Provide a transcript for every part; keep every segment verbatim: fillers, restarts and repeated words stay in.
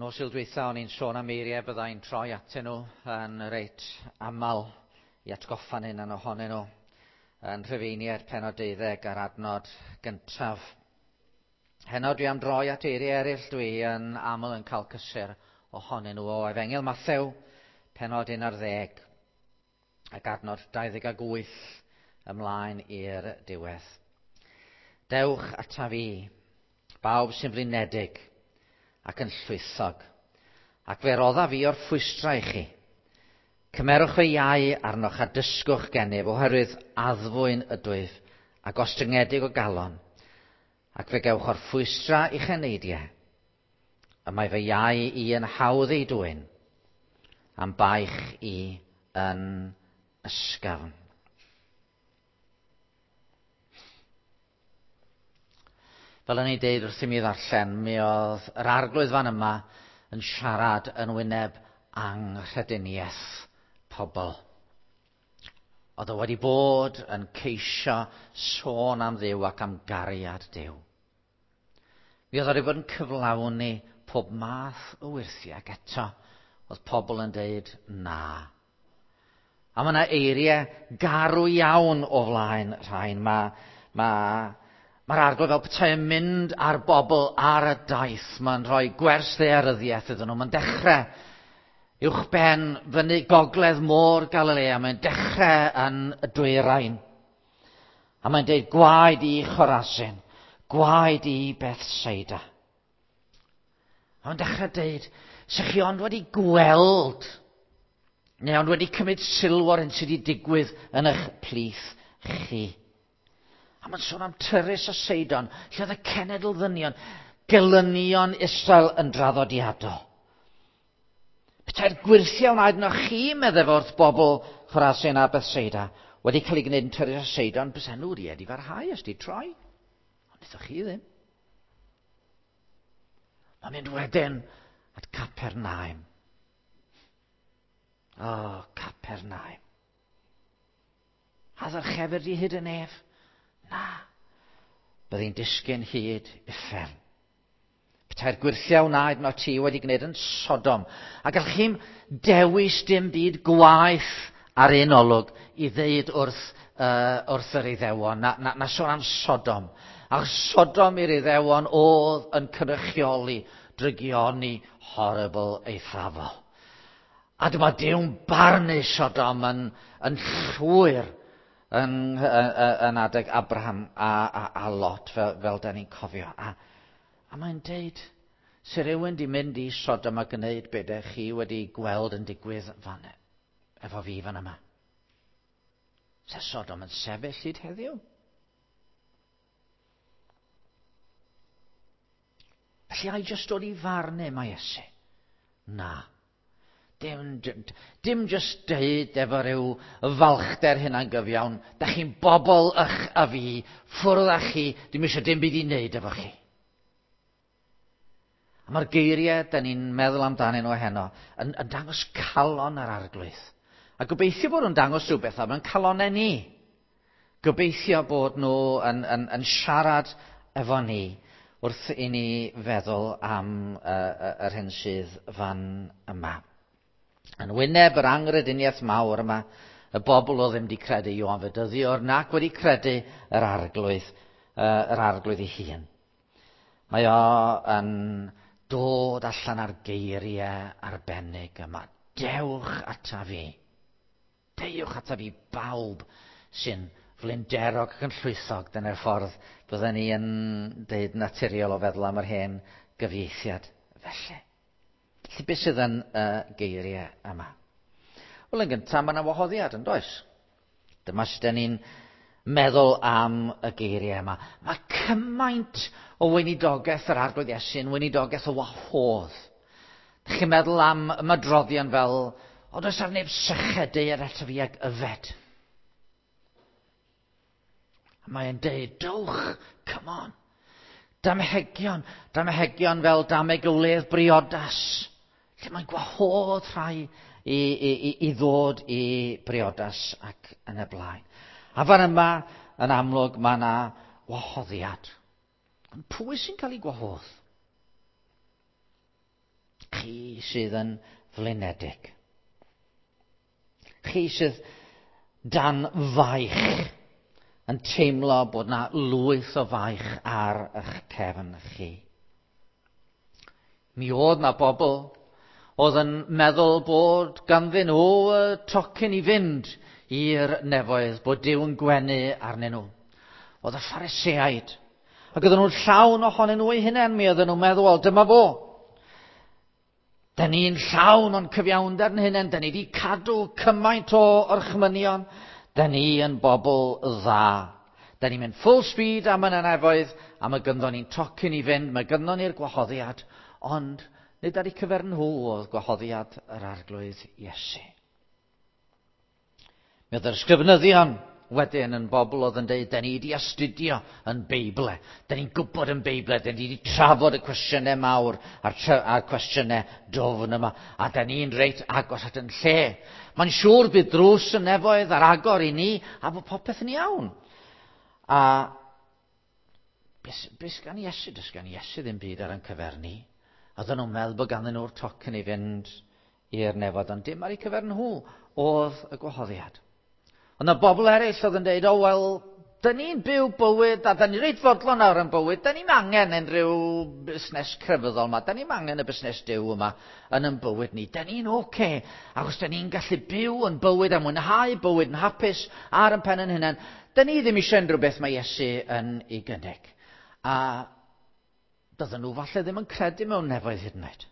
Nos Sul dwytha o'n i'n sôn am eiriau byddai'n troi atyn nhw yn reit aml i atgoffa'n hunan ohonyn nhw yn Rhufeiniaid pennod deuddeg a'r adnod gyntaf. Heno dwi am droi at eiriau eraill dwi yn aml yn cael cysur ohonyn nhw o Efengyl Mathew pennod un ar ddeg ac adnod dau ddeg ag wyth ymlaen i'r diwedd. Dewch ataf fi, bawb sy'n flinedig ac yn llwythog, ac fe roddaf fi o'r ffwystra i chi. Cymerwch fy iau arnoch a dysgwch gennyf, oherwydd addfwyn ydwyf a gostyngedig o galon, ac fe gewch o'r ffwystra i'ch eneidiau. Y mae fy iau i yn hawdd ei dwyn, am baich i yn ysgafn. Fel o'n i'n deud wrth i mi ddarllen, mi oedd yr arglwydd fan yma yn siarad yn wyneb anghrediniaeth pobl. Oedd o wedi bod yn ceisio sôn am Dduw ac am gariad Duw. Mi oedd o wedi bod yn cyflawni pob math o wyrthiau, ac eto oedd pobl yn deud na. A mae yna eiriau garw iawn o flaen rhain. Mae, mae, Mae'r arglwydd fel petai yn mynd ar bobl ar y daith. Mae'n rhoi gwers ddaearyddiaeth iddyn nhw. Mae'n dechrau uwchben fyny gogledd môr Galilea. Mae'n dechrau yn y dwyrain. A mae'n deud gwaed i Chorazin, gwaed i Bethsaida. A mae'n dechrau deud, sech chi ond wedi gweld, neu ond wedi cymryd sylw o'r hyn sydd wedi digwydd yn eich plith chi. A mae'n sôn am Tyrus a Seidon, lle oedd y cenedl ddynion, gelynion Israel yn draddodiadol. Petai'r gwyrthiau wnaed yno chi, meddai wrth bobl Chorazin a Bethsaida, wedi cael ei gwneud yn Tyrus a Seidon, bysa nhw wedi wedi farhau os di troi. Ond wnaethoch chi ddim. Mae'n mynd wedyn at Capernaum. O, oh, Capernaum. A ddyrchefir di hyd yn ef? Na, byddi'n disgyn hyd uffern. Petai'r gwyrthiau wnaed no ti wedi gwneud yn Sodom. A gallwch chi'm dewis dim byd gwaeth ar un olwg i ddeud wrth, uh, wrth yr Iddewon, na, na, na sôn am Sodom. A Sodom i'r Iddewon oedd yn cynrychioli drygioni horrible eithafol. A dyma Duw'n barnu Sodom yn, yn llwyr yn, yn, yn adeg Abraham a, a, a Lot, fel, fel da ni'n cofio. A, a mae'n deud, se rhywun di mynd i Sodom a gwneud be dych chi wedi gweld yn digwydd fan, efo fi fan yma. Se Sodom yn sefyll hyd heddiw? Felly ai jyst dod i farnu mae Iesu? Na. Dim, dim, dim jyst deud efo rhyw falchder hynna'n gyfiawn. Da chi'n bobl ych a fi, ffwrdd â chi, dim eisiau dim byd i wneud efo chi. A mae'r geiriau da ni'n meddwl amdanyn nhw heno yn, yn dangos calon yr arglwydd. A gobeithio bod nhw'n dangos rhywbeth am ein calonau ni. Gobeithio bod nhw yn, yn, yn siarad efo ni wrth i ni feddwl am uh, yr hyn sydd fan yma. Yn wyneb yr anghrediniaeth mawr yma, y bobl oedd ddim wedi credu Ioan Fedyddiwr nac wedi credu yr arglwydd, uh, yr arglwydd ei hun. Mae o yn dod allan ar geiriau arbennig yma. Dewch ata fi. Dewch ata fi bawb sy'n flinderog ac yn llwythog. Dyna'r ffordd bydden ni yn deud naturiol o feddwl am yr hen gyfieithiad felly. Felly beth sydd yn y geiriau yma? Wel, yn gyntaf, mae yna wahoddiad, yn does? Dyma sut dan ni'n meddwl am y geiriau yma. Mae cymaint o weinidogaeth yr Arglwydd Iesu yn weinidogaeth o wahodd. Dych chi'n meddwl am ymadroddion fel, o does ar neb syched deued ato fi ag yfed. A mae'n deud, dowch, come on. Damhegion, damhegion fel dameg o wledd briodas. Lle mae'n gwahodd rhai i, i, i, i ddod i briodas ac yn y blaen. A fan yma, yn amlwg, mae yna wahoddiad. Ond pwy sy'n cael ei gwahodd? Chi sydd yn flinedig. Chi sydd dan faich, yn teimlo bod na lwyth o faich ar eich cefn chi. Mi oedd na bobl oedd yn meddwl bod ganddyn nhw y tocyn i fynd i'r nefoedd, bod Duw yn gwenu arnyn nhw. Oedd y Phariseaid. Ac oedden nhw'n llawn ohonyn nhw eu hunain, mi oedden nhw'n meddwl, wel, dyma fo. Da ni'n llawn o'n cyfiawnder yn hunain, da ni wedi cadw cymaint o orchmynion, da ni yn bobl dda. Da ni'n mynd full speed am y nefoedd, a mae gynddon ni'n tocyn i fynd, mae gynddon ni'r gwahoddiad, ond nid ar eu cyfer nhw oedd gwahoddiad yr Arglwydd Iesu. Mi oedd yr ysgrifenyddion wedyn yn bobl oedd yn dweud, da ni wedi astudio yn Beible, da ni'n gwybod yn Beible, da ni wedi trafod y cwestiynau mawr a'r, a'r cwestiynau dwfn yma, a da ni'n reit agos at yn lle. Mae'n siŵr bydd drws y nefoedd ar agor i ni, a bod popeth yn iawn. A beth, beth gan Iesu? Does gan Iesu ddim byd ar ein cyfer ni. Oedden nhw'n meddwl bod ganddyn nhw'r tocyn i fynd i'r nefoedd, ond dim ar eu cyfer nhw oedd y gwahoddiad. Ond y bobl eraill oedd yn dweud, o wel, dyn ni'n byw bywyd, a dyn ni reit fodlon ar yn bywyd, dyn ni'n angen unrhyw busnes crefyddol yma, dyn ni'n angen y busnes Duw yma yn yn bywyd ni, dyn ni'n oce, okay, achos dyn ni'n gallu byw yn bywyd a mwynhau bywyd yn hapus ar yn pen yn hunain. Dyn ni ddim eisiau unrhyw beth mae Iesu yn ei gynnig. A bydden nhw falle ddim yn credu mewn nefoedd hyd yn oed.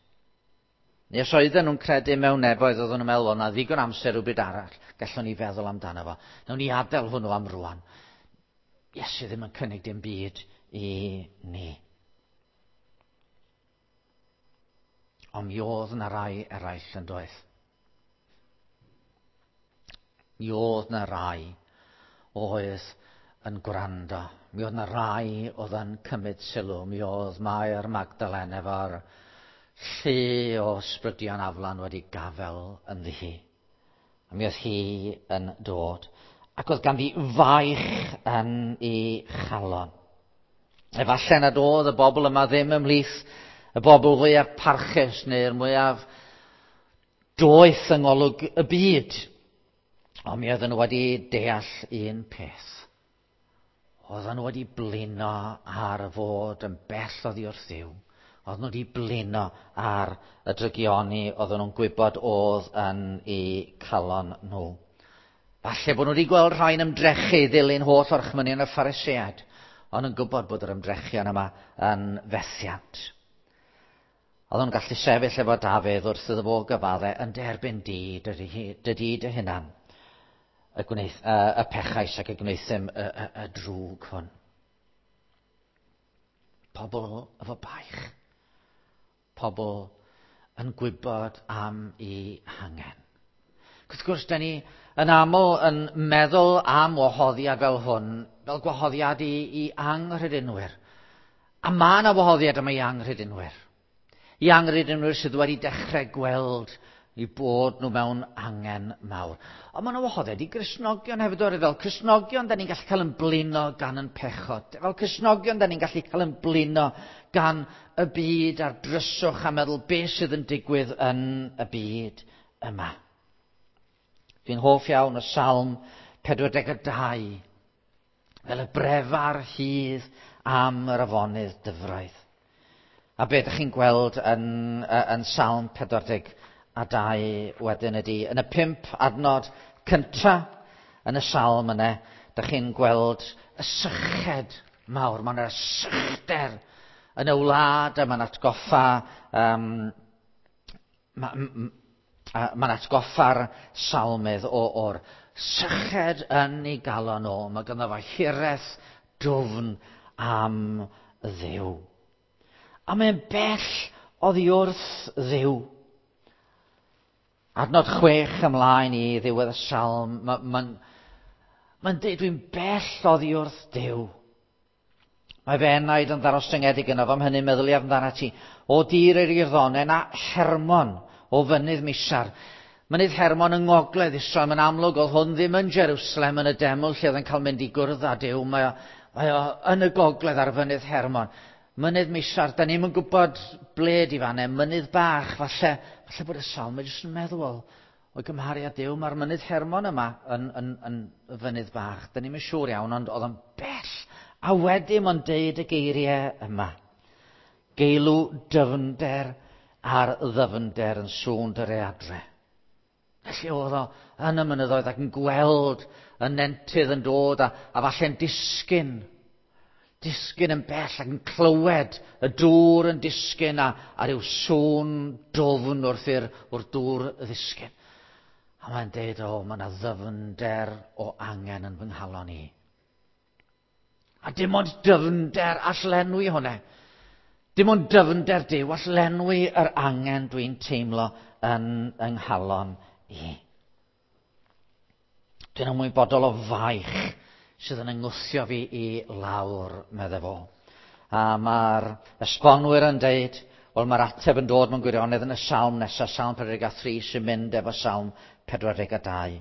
Neu os oedden nhw'n credu mewn nefoedd, oedden nhw'n meddwl, o, na ddigon amser rhywbeth arall, gallwn ni feddwl amdano fo. Nawn ni adael hwnnw am rwan. Iesu ddim yn cynnig dim byd i ni. Ond mi oedd na rai eraill yn doedd. Mi oedd na rai oedd yn gwrando. Mi oedd na rai oedd yn cymryd sylw. Mi oedd Mair Magdalen efo'r llu o ysbrydion aflan wedi gafel ynddi hi. A mi oedd hi yn dod. Ac oedd ganddi faich yn ei chalon. Efallai nad oedd y bobl yma ddim ymhlith y bobl fwyaf parchus neu'r mwyaf doeth yng ngolwg y byd. Ond mi oedden nhw wedi deall un peth. Oedden nhw wedi blino ar y fod yn bell oddi wrth Dduw. Oedden nhw wedi blino ar y drygioni oedden nhw'n gwybod oedd yn eu calon nhw. Falle bod nhw wedi gweld rhai'n ymdrechu i ddilyn holl orchmynion y Phariseaid, ond yn gwybod bod yr ymdrechion yma yn fethiant. Oedden nhw'n gallu sefyll efo Dafydd wrth iddo fo gyfadde yn derbyn di, dydy dy hunan, y, gwneith, y, y pechais ac y gwnaethum y, y, y drwg hwn. Pobl efo baich. Pobl yn gwybod am eu hangen. Wrth gwrs, da ni yn aml yn meddwl am wahoddiad fel hwn, fel gwahoddiad i, i anghredinwyr. A mae yna wahoddiad yma i anghredinwyr. I anghredinwyr sydd wedi dechrau gweld i bod nhw mewn angen mawr. Ond mae yna wahoddiad i Gristnogion hefyd o'r fel Cristnogion, da ni'n gallu cael yn blino gan yn pechod. Fel Cristnogion, da ni'n gallu cael yn blino gan y byd a'r dryswch a meddwl beth sydd yn digwydd yn y byd yma. Dwi'n hoff iawn o Salm pedwar deg dau, fel y brefar hydd am yr afonydd dyfroedd. A be ydych chi'n gweld yn, yn Salm pedwar deg dau wedyn ydy, yn y pump adnod cynta yn y salm yna, ydych chi'n gweld y syched mawr. Mae yna sychder yn y wlad a mae'n atgoffa um, mae'n ma atgoffa'r salmydd o, o'r syched yn ei galon o. Mae ganddo fo hiraeth dwfn am Dduw. A mae'n bell oddi wrth Dduw. Adnod chwech ymlaen i ddiwedd y salm, mae'n ma, ma dweud dwi'n bell oddi wrth Duw. Mae fy enaid yn ddarostyngedig yno fo, am hynny meddyliaf amdana ti. O dir yr Iorddonen a Hermon o fynydd Misar. Mynydd Hermon yng ngogledd Israel, mae'n amlwg oedd hwn ddim yn Jerusalem yn y deml lle oedd yn cael mynd i gwrdd â Duw. Mae o, mae o yn y gogledd ar fynydd Hermon. Mynydd Misar, da ni'm yn gwybod ble di fan e, mynydd bach, falle, falle bod y salm jyst yn meddwl, o'i gymharu â Duw, mae'r mynydd Hermon yma yn, yn, yn fynydd bach. Da ni'm yn siŵr iawn, ond oedd o'n bell. A wedyn mae'n deud y geiriau yma. Geilw dyfnder ar ddyfnder yn sŵn dy readre. Felly oedd o yn y mynyddoedd ac yn gweld y nentydd yn dod a, a falle'n disgyn. Disgyn yn bell ac yn clywed y dŵr yn disgyn a, a rhyw sŵn dwfn wrth i'r wrth dŵr ddisgyn. A mae'n deud, o, mae yna ddyfnder o angen yn fy nghalon i. A dim ond dyfnder all lenwi hwnna. Dim ond dyfnder Duw all lenwi yr angen dwi'n teimlo yn yng nghalon i. Dwi'n ymwybodol o faich sydd yn yngwthio fi i lawr, medde fo. A mae'r esbonwyr yn deud, wel mae'r ateb yn dod mewn gwirionedd yn y salm nesaf, Salm pedwar deg a thri, sy'n mynd efo Salm pedwar deg a dau,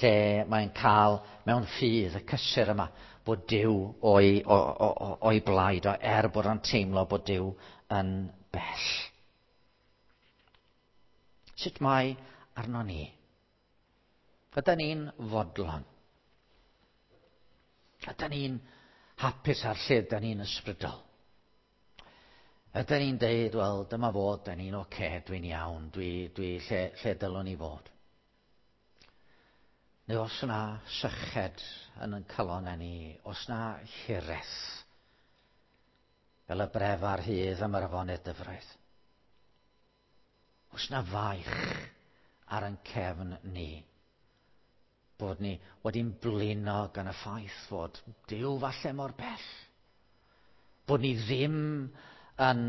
lle mae'n cael mewn ffydd y cysur yma bod Duw o'i, o, o, o, o'i blaid o, er bod o'n teimlo bod Duw yn bell. Sut mae arno ni? Ydan ni'n fodlon? Ydan ni'n hapus ar lle ydan ni'n ysbrydol? Ydan ni'n deud, wel, dyma fod, da ni'n oce, okay, dwi'n iawn, dwi, dwi lle, lle dylwn i fod? Neu os yna syched yn ein calon ni, os yna hiraeth, fel y bref ar hyd am yr afonydd dyfroedd, os yna faich ar ein cefn ni, bod ni wedi'n blino gan y ffaith fod Duw falle mor bell, bod ni ddim yn,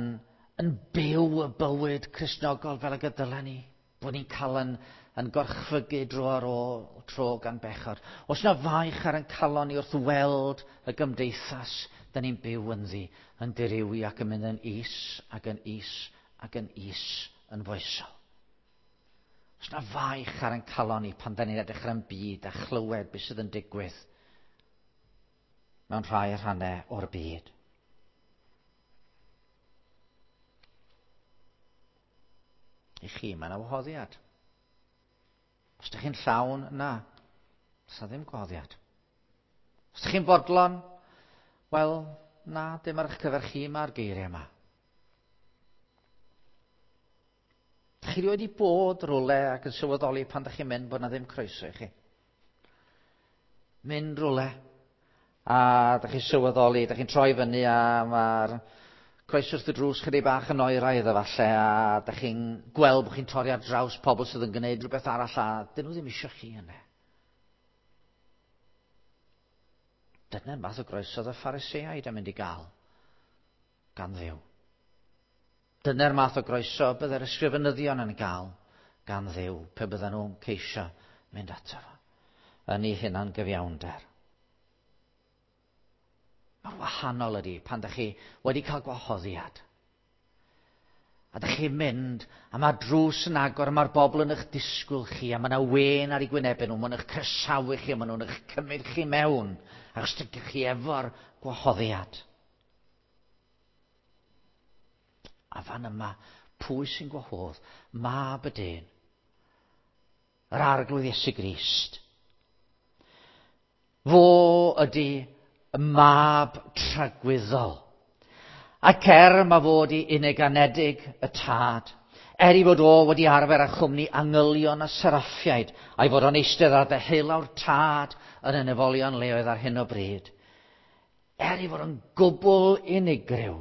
yn byw y bywyd Cristnogol fel y gydylen ni, bod ni'n cael yn, yn gorchfygu dro ar ôl tro gan bechod. Os na faich ar ein calon ni wrth weld y gymdeithas da ni'n byw ynddi, yn dirywi ac yn mynd yn is ac yn is ac yn is yn foesol. Os na faich ar ein calon ni pan da ni'n edrych ar ein byd a chlywed beth sydd yn digwydd mewn rhai rhannau o'r byd. I chi, mae yna wahoddiad. Os ydych chi'n llawn, na. Does 'na ddim gwahoddiad. Os ydych chi'n fodlon, wel, na, dim ar eich cyfer chi mae'r geiriau yma. Ydych chi wedi bod rhywle ac yn sylweddoli pan ydych chi'n mynd bod na ddim croeso i chi? Mynd rhywle a ydych chi'n sylweddoli, ydych chi'n troi fyny a mae'r croeso wrth y drws chydig bach yn oeraidd efallai, a ydych chi'n gweld bod chi'n torri ar draws pobl sydd yn gwneud rhywbeth arall a dyn nhw ddim eisiau chi yna. Dyna'r math o groeso oedd y Phariseaid yn mynd i gael gan Dduw. Dyna'r math o groeso byddai'r ysgrifenyddion yn gael gan Dduw pe bydden nhw'n ceisio mynd ato fo yn ei hunan gyfiawnder. Mae'r wahanol ydy pan ydych chi wedi cael gwahoddiad. A ydych chi'n mynd, a mae'r drws yn agor, a mae'r bobl yn eich disgwyl chi, a mae yna wên ar eu gwynebau nhw, maen nhw'n eich croesawu chi, a maen nhw'n eich cymryd chi mewn, achos ydych chi efo'r gwahoddiad. A fan yma, pwy sy'n gwahodd? Mab y dyn, yr Arglwydd Iesu Grist. Fo ydy y mab tragwyddol. Ac er mae fod i unig anedig y tad, er i fod o wedi arfer â chwmni angylion a seraffiaid, a'i fod o'n eistedd ar ddeheulaw'r tad yn y nefolion leoedd ar hyn o bryd, er i fod o'n gwbl unigryw,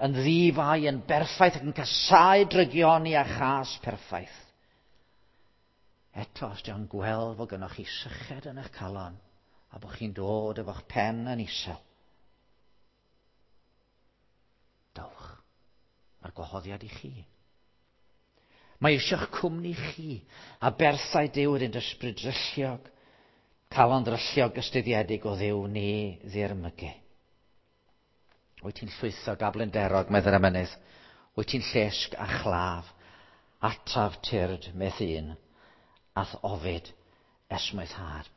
yn ddifai, yn berffaith ac yn casáu drygioni a chas perffaith. Eto, os di o'n gweld fod gynnoch chi syched yn eich calon, a bod chi'n dod efo'ch pen yn isel, dowch. Mae'r gwahoddiad i chi. Mae eisiau'ch cwmni chi, a berthau Duw yr un ysbryd drylliog, calon drylliog ystuddiedig o Dduw ni ddirmygu. Wyt ti'n llwythog a blinderog, meddai'r emynydd. Wyt ti'n llesg a chlaf. Ataf tyrd meth un, a'th ofid esmwythâd.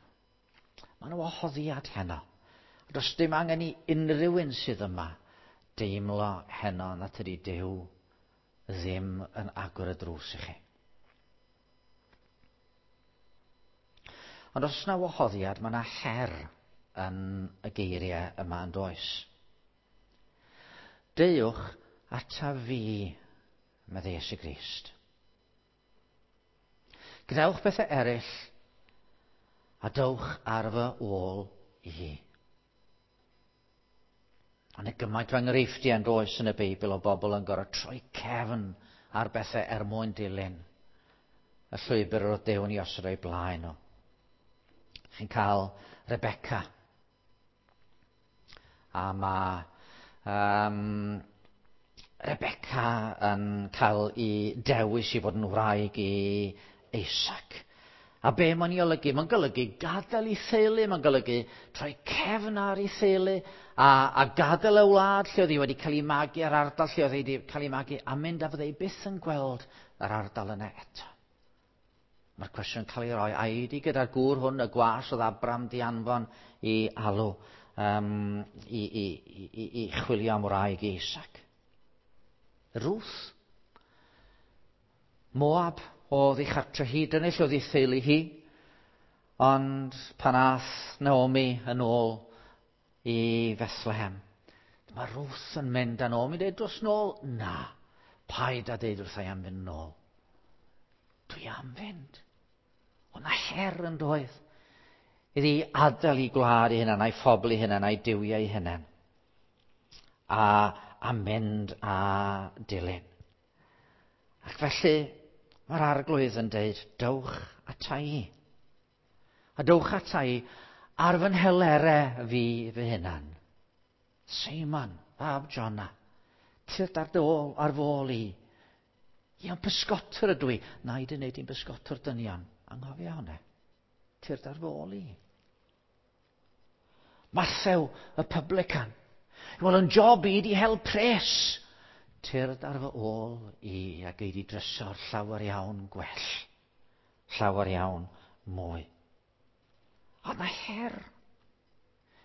Mae yna wahoddiad heno. Does dim angen i unrhyw un sydd yma deimlo heno na tydi Duw ddim yn agor y drws i chi. Ond os yna wahoddiad, mae yna her yn y geiriau yma yn does. Deuwch ata fi, meddai Iesu Grist. Gwnewch bethau eraill a dowch ar fy ôl i. Ond y gymaint o enghreifftiau yn does yn y Beibl o bobl yn gorfod troi cefn ar bethau er mwyn dilyn y llwybr yr oedd Duw yn ei osod o'i blaen nhw. Chi'n cael Rebecca. A mae um, Rebecca yn cael ei dewis i fod yn wraig i Isaac. A be mae'n ei olygu? Mae'n golygu gadael ei theulu, mae'n golygu troi cefn ar ei theulu a, a gadael y wlad lle oedd hi wedi cael ei magu, a'r ardal lle oedd hi wedi cael ei magu, a mynd a fydde hi byth yn gweld yr ardal yna eto. Mae'r cwestiwn yn cael ei roi, a i gyda'r gŵr hwn, y gwas oedd Abram di anfon i alw, um, i, i, i, i chwilio am wraig i Isaac. Ruth. Moab oedd ei chartre hi, dyna lle oedd ei theulu hi. Ond pan ath Naomi yn ôl i Bethlehem, dyma Ruth yn mynd â Naomi, dweud dros nôl, na, paid a deud wrtha i am fynd nôl. Dwi am fynd. Ond na her yn doedd. Iddi adael ei gwlad ei hunan, a'i phobl ei hunan, a'i duwiau ei hunan. A, a mynd a dilyn. Ac felly, mae'r Arglwydd yn deud, dowch ata i. A dowch ata i ar fy nhelere fi fy hunan. Seimon, fab Jona, tyrd ar dy ôl, ar fy ôl i. Iawn, pysgotwr ydw i. Na i dy wneud i'n bysgotwr dynion. Anghofio hwnna. Tyrd ar fy ôl i. Mathew, y publican. Wel, yn job i di hel pres. Tyrd ar fy ôl i a gei di drysor llawer iawn gwell. Llawer iawn mwy. Ond na her.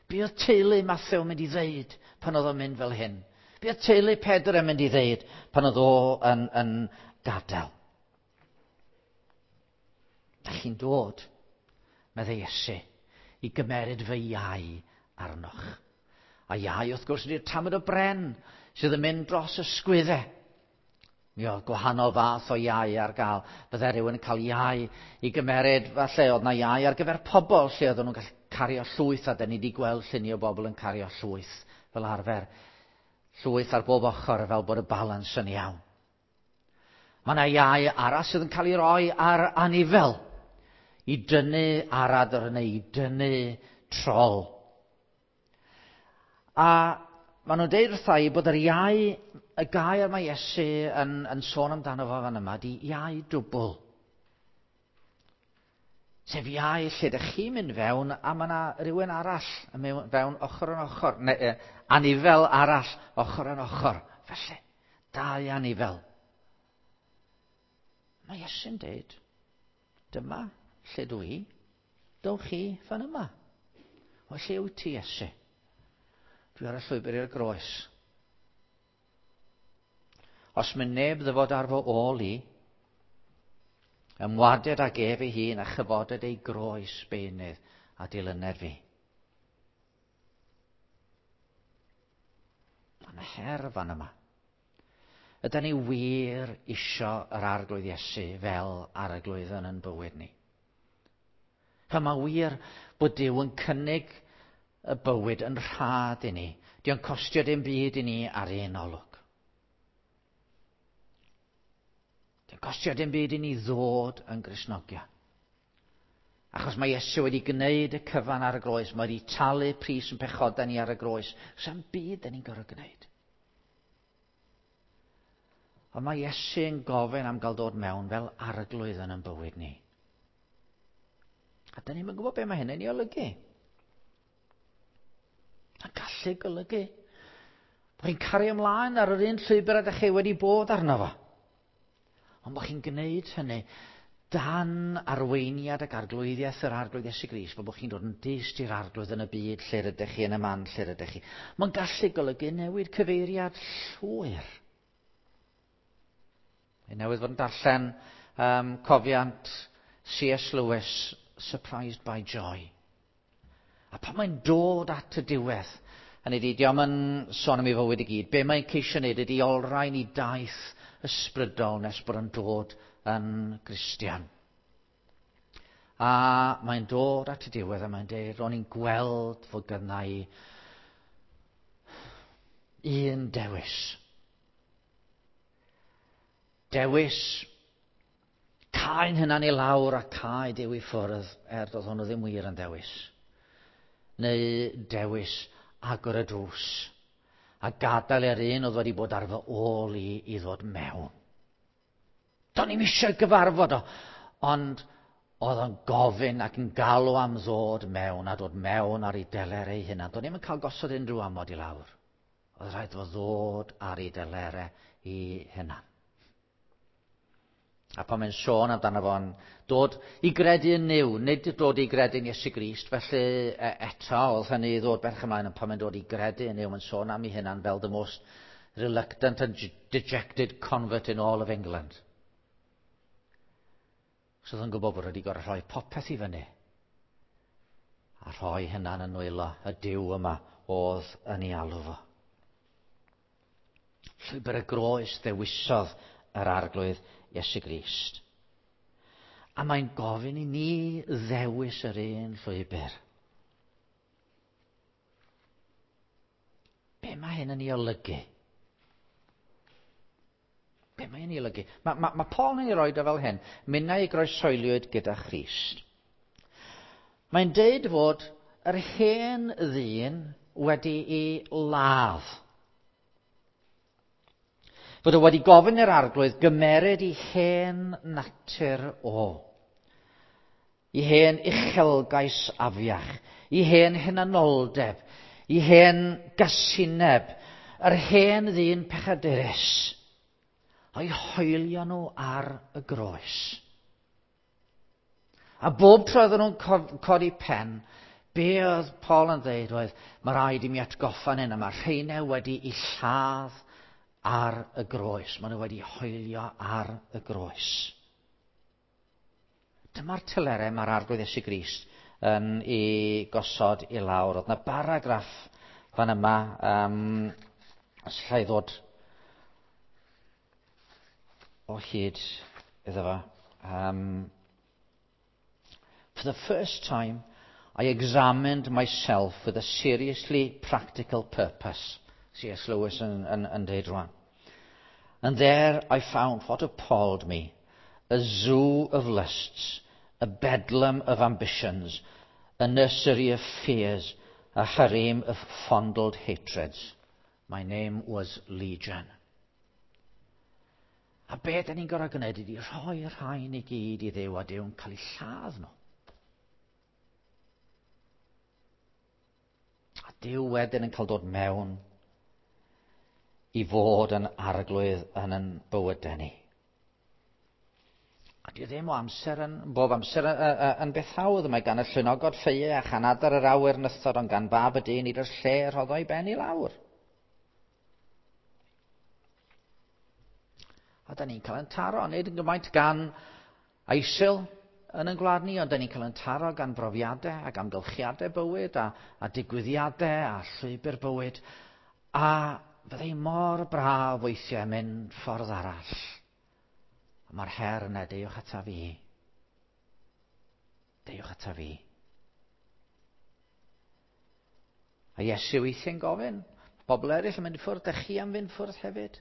Be oedd teulu Mathew yn mynd i ddeud pan oedd o'n mynd fel hyn? Be oedd teulu Pedr yn mynd i ddeud pan oedd o yn, yn gadael? Da chi'n dod, meddai Iesu, i gymeryd fy iau arnoch. A iau, wrth gwrs, ydy'r tamed o bren sydd yn mynd dros y sgwyddau. Mi oedd gwahanol fath o iau ar gael. Bydde rhywun yn cael iau i gymeryd, falle oedd na iau ar gyfer pobl lle oedden nhw'n gallu cario llwyth, a da ni wedi gweld lluniau o bobl yn cario llwyth fel arfer. Llwyth ar bob ochr fel bod y balans yn iawn. Mae yna iau arall sydd yn cael ei roi ar anifel i dynnu aradr neu i dynnu trol. A maen nhw'n deud wrtha i bod yr iau, y gair mae Iesu yn, yn sôn amdano fo fan yma, di iau dwbl. Sef iau lle ydych chi'n mynd fewn a mae yna rhywun arall yn mynd fewn ochr yn ochr, neu eh, anifel arall ochr yn ochr. Felly, dau anifel. Mae Iesu'n deud, dyma lle dwi i, dowch chi fan yma. O lle wyt ti, Iesu? Dwi ar y llwybr i'r groes. Os mynd neb ddyfod ar fy ôl i, ymwaded ag ef ei hun a chyfoded ei groes beunydd a dilyned fi. Mae'n her fan yma. Ydy ni wir isio yr Arglwydd Iesu fel Arglwydd yn yn bywyd ni? Mae wir bod Duw yn cynnig y bywyd yn rhad i ni. Dio'n costio dim byd i ni ar un olwg. Dio'n costio dim byd i ni ddod yn Gristnogion. Achos mae Iesu wedi gwneud y cyfan ar y groes. Mae wedi talu pris yn pechodau ni ar y groes. Sa'm byd da ni'n gorfod gwneud. Ond mae Iesu yn gofyn am gael dod mewn fel Arglwydd yn ein bywyd ni. A da ni'n gwybod be mae hynny'n ei olygu. A gallu golygu bod chi'n cario ymlaen ar yr un llwybr ydych chi wedi bod arno fo. Ond bod chi'n gwneud hynny Dan arweiniad ac arglwyddiaeth yr Arglwydd Iesu Grist, fel bod chi'n dod yn dyst i'r Arglwydd yn y byd lle rydych chi, yn y man lle rydych chi. Mae'n gallu golygu newid cyfeiriad llwyr. Ei newydd fod yn darllen um, cofiant C S Lewis, Surprised by Joy. A pan mae'n dod at y diwedd, hynny ydi, dio'm yn sôn am ei fywyd i gyd, be mae'n ceisio wneud ydi olrhain i daith ysbrydol nes bod yn dod yn Gristion. A mae'n dod at y diwedd a mae'n dweud, ro'n i'n gweld fod gynna i un dewis. Dewis cau'n hunan i lawr a cau Duw i ffwrdd, er doedd hwnnw ddim wir yn dewis. Neu dewis agor y drws a gadael i'r un oedd wedi bod ar fy ôl i i ddod mewn. Do'n i'm eisiau gyfarfod o, ond oedd o'n gofyn ac yn galw am ddod mewn a dod mewn ar ei delerau ei hunan. Do'n i'm yn cael gosod unrhyw amod i lawr. Oedd rhaid fo ddod ar ei delerau ei hunan. A pan mae'n sôn amdano fo'n dod i gredu yn Nuw, nid dod i gredu yn Iesu Grist, felly eto oedd hynny i ddod berch ymlaen, ond pan mae'n dod i gredu yn Nuw, mae'n sôn am ei hunan fel the most reluctant and dejected convert in all of England. So oedd yn gwybod bod wedi gorfod rhoi popeth i fyny a rhoi hynna'n yn nwylo y Duw yma oedd yn ei alw fo. Llwybr y groes ddewisodd yr Arglwydd Iesu Grist. A mae'n gofyn i ni ddewis yr un llwybr. Be mae hyn yn ei olygu? Be mae hyn yn ei olygu? Mae, mae, mae Paul yn ei roed o fel hyn. Minnau i groeshoeliwyd gyda Christ. Mae'n deud fod yr hen ddyn wedi'i ladd. Fod o wedi gofyn i'r Arglwydd gymeryd i hen natur o. I hen uchelgais afiach, i hen hunanoldeb, i hen gasineb, yr hen ddyn pechadurus, a'i hoelio nhw ar y groes. A bob tro oedden nhw'n codi pen, be oedd Paul yn dweud oedd, mae rhaid i mi atgoffa'n hyn, a mae rheinau wedi i lladd ar y groes. Maen nhw wedi hoelio ar y groes. Dyma'r telerau mae'r Arglwydd Iesu Grist yn ei gosod i lawr. Oedd yna baragraff fan yma, um, os alla i ddod o hyd iddo fo. Um, For the first time, I examined myself with a seriously practical purpose. C S Lewis yn, yn, yn deud rwan. And there I found what appalled me, a zoo of lusts, a bedlam of ambitions, a nursery of fears, a harem of fondled hatreds. My name was Legion. A be da ni'n gorfod gwneud ydi rhoi rhain i gyd i Dduw a Duw'n cael ei lladd nhw. A Duw wedyn yn cael dod mewn i fod yn arglwydd yn yn bywydau ni. A di ddim o amser yn, bob amser yn, yn beth hawdd. Mae gan y llwynogod ffeie a chanadar yr awyr nythod, ond gan fab y dyn nid oes lle rhoddo ei ben i lawr. A da ni'n cael yn taro, nid yn gymaint gan ISIL yn ein gwlad ni, ond da ni'n cael yn taro gan brofiadau ac amgylchiadau bywyd a, a digwyddiadau a llwybr bywyd. A fyddai mor braf weithiau mynd ffordd arall. A mae'r her yna, deuwch ata fi. Deuwch ata fi. A Iesu weithiau'n gofyn, bobl eraill yn mynd i ffwrdd, dych chi am fynd ffwrdd hefyd?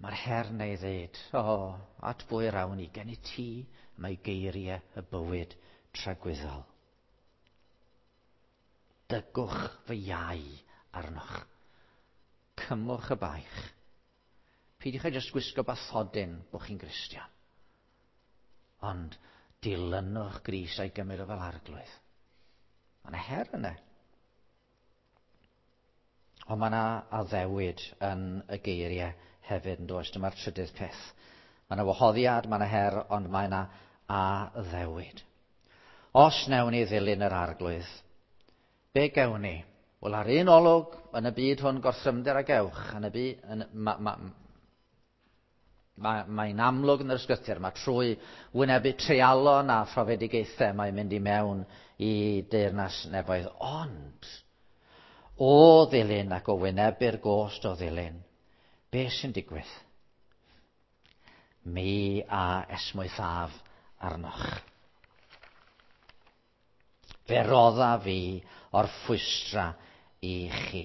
Mae'r her yna i ddeud, o, oh, at bwy rawn i, gen i ti, mae geiriau y bywyd tragwyddol. Dygwch fy iau arnoch. Cymwch y baich. Peidiwch â jyst gwisgo bathodyn bod chi'n Gristion. Ond dilynwch Grist a'i gymryd o fel arglwydd. Mae yna her yna. Ond mae yna addewid yn y geiriau hefyd yn does. Dyma'r trydydd peth. Mae yna wahoddiad, mae yna her, ond mae yna addewid. Os newn ni ddilyn yr Arglwydd, be gewn ni? Wel, ar un olwg, yn y byd hwn gorthrymder a gewch, yn y byd, yn, ma, ma, ma, mae'n amlwg yn yr ysgrythur, mae trwy wynebu treialon a phrofedigaethau mae'n mynd i mewn i deyrnas nefoedd. Ond, o ddilyn ac o wynebu'r gost o ddilyn, be sy'n digwydd? Mi a esmwythaf arnoch. Fe rodda fi orffwystra i chi.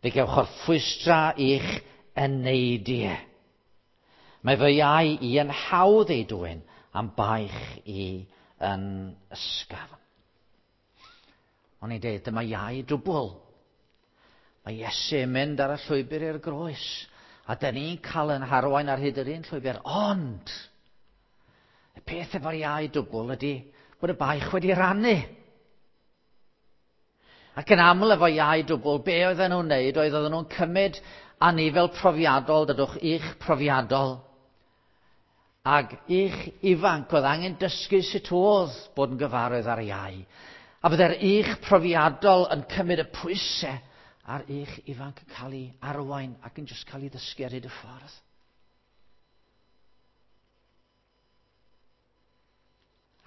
Fe gewch orffwystra i'ch eneidiau. Mae fy iau i yn hawdd ei dwyn am baich i yn ysgafn. O'n i'n dweud, dyma iau dwbl. Mae Iesu yn mynd ar y llwybr i'r groes. A dyn ni'n cael yn harwain ar hyd yr un llwybr. Ond, y peth efo'r iau dwbl ydy bod y baich wedi rannu. Ac yn aml efo iau dwbl, be oedden nhw'n wneud oedd oedden nhw'n cymryd anifel profiadol, dydwch, i'ch profiadol. Ac i'ch ifanc oedd angen dysgu sut oedd bod yn gyfarwydd ar iau. A bydde'r i'ch profiadol yn cymryd y pwysau a'r i'ch ifanc yn cael ei arwain ac yn jyst cael ei ddysgu ar hyd y ffordd.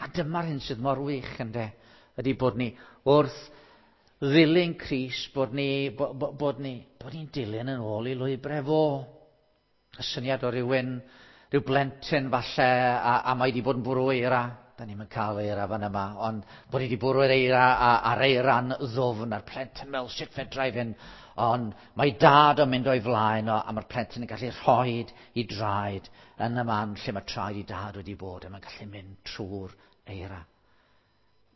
A dyma'r hyn sydd mor wych, ynde, ydy bod ni wrth ddilyn Crist, bod ni, bo, bo, bod ni, bod ni'n dilyn yn ôl i lwybrau fo. Y syniad o rywun, rhyw blentyn falle, a, a mae wedi bod yn bwrw eira. Da ni'm yn cael eira fan yma, ond bod ni wedi bwrw'r eira a, a'r eira'n ddwfn, a'r plentyn mewn sut fedra i fynd. Ond mae dad yn mynd o'i flaen o, a mae'r plentyn yn gallu rhoid i draed yn y man lle mae traed i dad wedi bod, a mae'n gallu mynd trwy'r eira.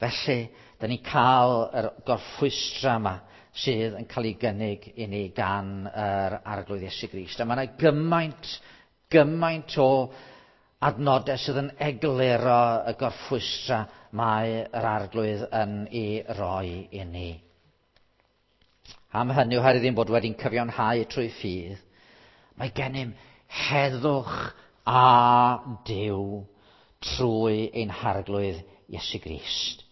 Felly, da ni'n cael yr gorffwystra yma sydd yn cael ei gynnig i ni gan yr Arglwydd Iesu Grist. A mae yna gymaint, gymaint o adnodau sydd yn egluro y gorffwystra mae yr Arglwydd yn ei roi i ni. Am hynny, oherwydd ein bod wedi'n cyfiawnhau trwy ffydd, mae gennym heddwch a Duw trwy ein Harglwydd Iesu Grist.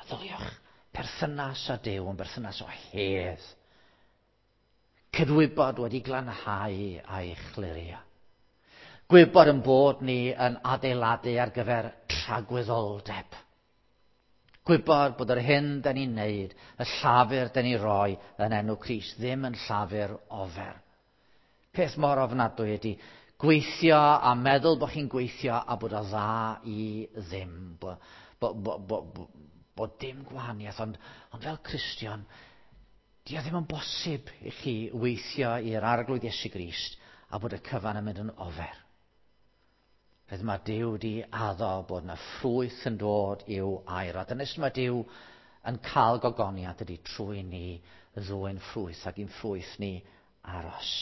Meddyliwch, perthynas â Duw yn berthynas o hedd. Cydwybod wedi glanhau a'i chlirio. Gwybod yn bod ni yn adeiladu ar gyfer tragwyddoldeb. Gwybod bod yr hyn da ni'n neud, y llafur da ni'n rhoi yn enw Crist, ddim yn llafur ofer. Peth mor ofnadwy ydy gweithio a meddwl bod chi'n gweithio a bod o dda i ddim. Bo, bo, bo, bo, bo, bod dim gwahaniaeth, ond, ond fel Cristion, di o ddim yn bosib i chi weithio i'r Arglwydd Iesu Grist a bod y cyfan yn mynd yn ofer. Felly mae Duw wedi addo bod yna ffrwyth yn dod i'w air. A dyna sut mae Duw yn cael gogoniant ydy trwy ni ddwyn ffrwyth ac i'n ffrwyth ni aros.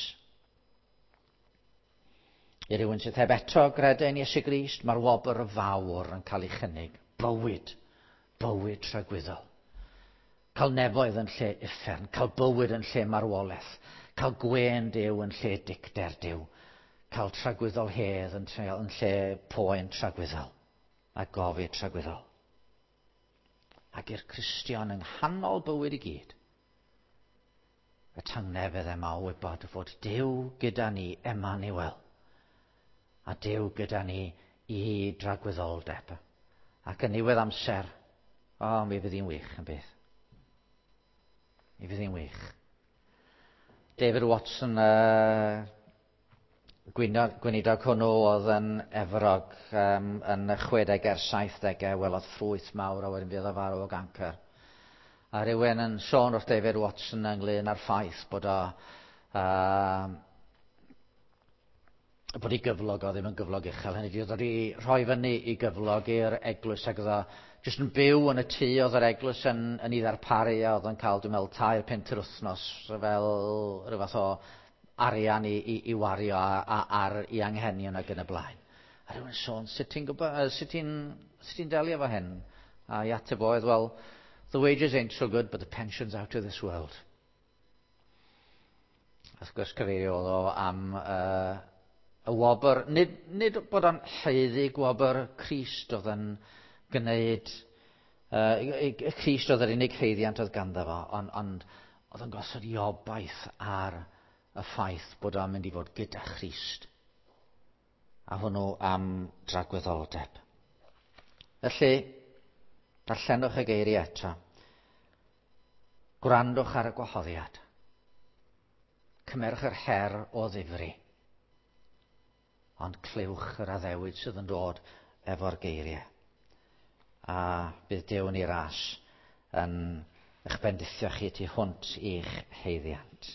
I rywun sydd heb eto gredu yn Iesu Grist, mae'r wobr fawr yn cael ei chynnig. Bywyd, bywyd tragwyddol. Cael nefoedd yn lle uffern, cael bywyd yn lle marwolaeth, cael gwên Duw yn lle dicter Duw, cael tragwyddol hedd yn lle poen tragwyddol a gofid tragwyddol. Ac i'r Cristion yng nghanol bywyd i gyd, y tangnefedd yma o wybod fod Duw gyda ni, Emmanuel, a Duw gyda ni i dragwyddoldeb. Ac yn niwedd amser, o, mi fydd hi'n wych yn bydd. Mi fydd hi'n wych. David Watson, uh, gweinidog hwnnw oedd yn Efrog um, yn y chwedegau a'r saithdegau, welodd ffrwyth mawr a wedyn fydd o farw o gancr. A rhywun yn sôn wrth David Watson ynglyn â'r ffaith bod o uh, bod ei gyflog o ddim yn gyflog uchel. Hynny ydi, oedd o wedi rhoi fyny i gyflog i'r eglwys ac oedd o jyst yn byw yn y tŷ oedd yr eglwys yn, yn ei ddarparu a oedd o'n cael, dwi'n meddwl, tair punt yr wythnos fel rhyw fath o arian i, i, i wario a, a, ar ei anghenion ac yn y blaen. A rhywun sôn, sut ti'n gwybod, sut ti'n, sut ti'n delio efo hyn? A i ateb oedd, well, the wages ain't so good, but the pension's out of this world. Wrth gwrs cyfeirio oedd o am uh, Y wobr, nid, nid bod o'n haeddu gwobr Crist oedd yn gwneud, uh, Crist oedd yr unig haeddiant oedd ganddo fo, ond, ond oedd yn gosod ei obaith ar y ffaith bod o'n mynd i fod gyda Christ. A hwnnw am dragwyddoldeb. Felly, darllenwch y geiriau eto. Gwrandwch ar y gwahoddiad. Cymerwch yr her o ddifri. Ond clywch yr addewid sydd yn dod efo'r geiriau. A bydd Duw yn ei ras yn eich bendithio chi tu hwnt i'ch haeddiant.